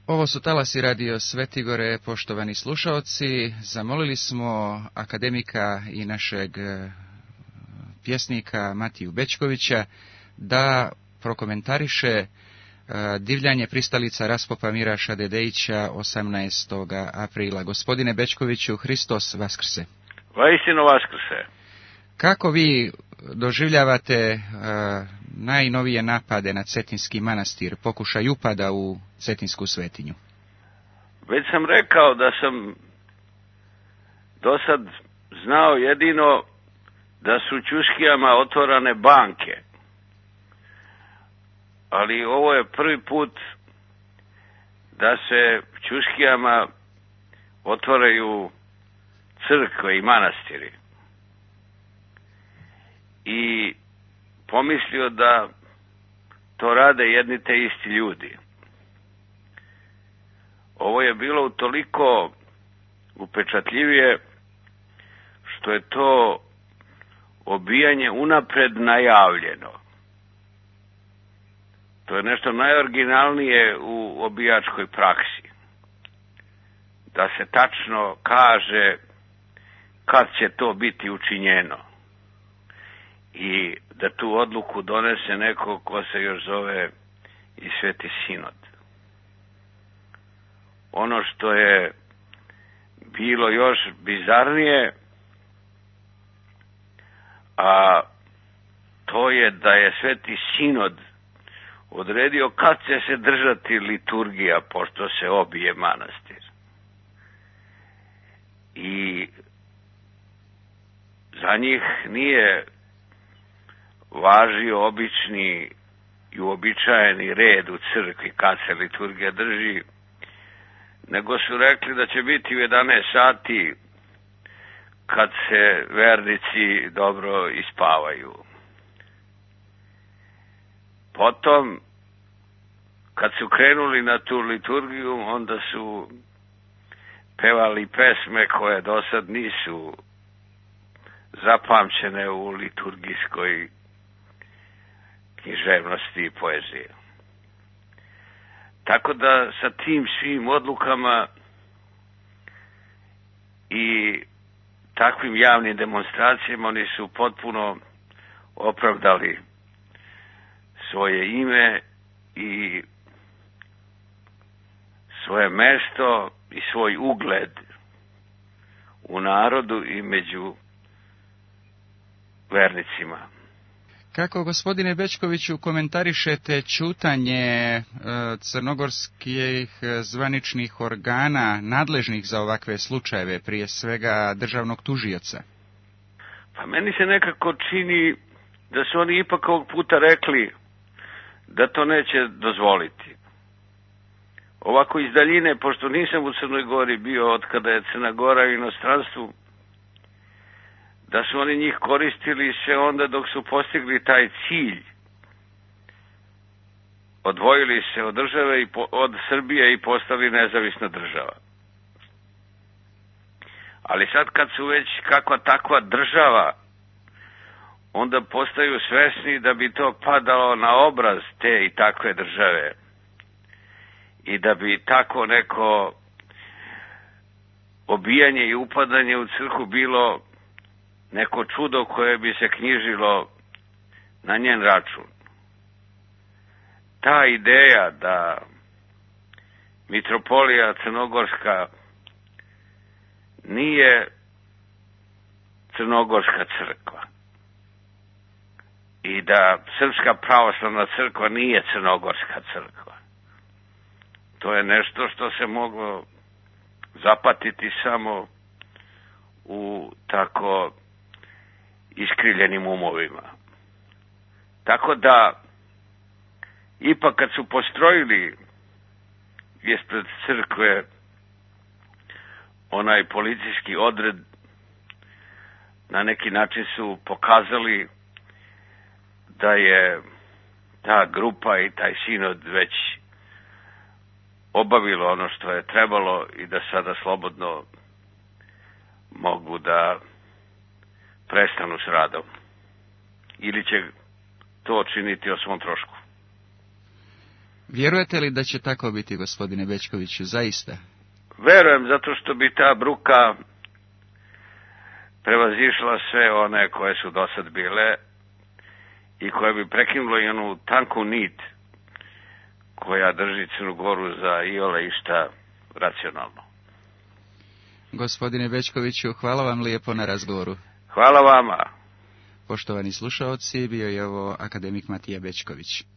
Ovo su talasi radio Svetigore, poštovani slušaoci. Zamolili smo akademika i našeg pjesnika Matiju Bečkovića da prokomentariše divljanje pristalica raspopa Miraša Dedejića 18. aprila. Gospodine Bečkoviću, Hristos vaskrse. Vaistinu vaskrse. Kako vi doživljavate najnovije napade na Cetinski manastir, pokušaj upada u Cetinsku svetinju? Već sam rekao da sam do sad znao jedino da su Ćuskijama otvorane banke. Ali ovo je prvi put da se Ćuskijama otvaraju crkve i manastiri. I pomislio da to rade jedni te isti ljudi. Ovo je bilo utoliko upečatljivije što je to obijanje unapred najavljeno. To je nešto najoriginalnije u obijačkoj praksi. Da se tačno kaže kad će to biti učinjeno. I da tu odluku donese neko ko se još zove i Sveti Sinod. Ono što je bilo još bizarnije, a to je da je Sveti Sinod odredio kad će se držati liturgija pošto se obije manastir. I za njih nije važio obični i uobičajeni red u crkvi kad se liturgija drži, nego su rekli da će biti u 11 sati kad se vernici dobro ispavaju. Potom, kad su krenuli na tu liturgiju, onda su pevali pesme koje do sad nisu zapamćene u liturgijskoj književnosti i poezije. Tako da sa tim svim odlukama i takvim javnim demonstracijama oni su potpuno opravdali svoje ime i svoje mesto i svoj ugled u narodu i među vernicima. Kako, gospodine Bečkoviću, komentarišete ćutanje crnogorskih zvaničnih organa nadležnih za ovakve slučajeve, prije svega državnog tužioca? Pa meni se nekako čini da su oni ipak ovog puta rekli da to neće dozvoliti. Ovako iz daljine, pošto nisam u Crnoj Gori bio od kada je Crna Gora u inostranstvu, da su oni njih koristili sve onda dok su postigli taj cilj. Odvojili se od države i od Srbije i postali nezavisna država. Ali sad kad su već kakva takva država, onda postaju svesni da bi to padalo na obraz te i takve države. I da bi tako neko obijanje i upadanje u crkvu bilo neko čudo koje bi se knjižilo na njen račun. Ta ideja da mitropolija crnogorska nije crnogorska crkva i da Srpska pravoslavna crkva nije crnogorska crkva. To je nešto što se moglo zapatiti samo u tako iskrivljenim umovima. Tako da, ipak kad su postrojili ispred crkve onaj policijski odred, na neki način su pokazali da je ta grupa i taj sinod već obavilo ono što je trebalo i da sada slobodno mogu da prestanu s radom. Ili će to činiti o svom trošku. Vjerujete li da će tako biti, gospodine Bečkoviću, zaista? Verujem, zato što bi ta bruka prevazišla sve one koje su dosad bile i koje bi prekinula i onu tanku nit koja drži Crnu Goru za iole išta racionalno. Gospodine Bečkoviću, hvala vam lijepo na razgovoru. Hvala vama. Poštovani slušaoci, bio je ovo akademik Matija Bečković.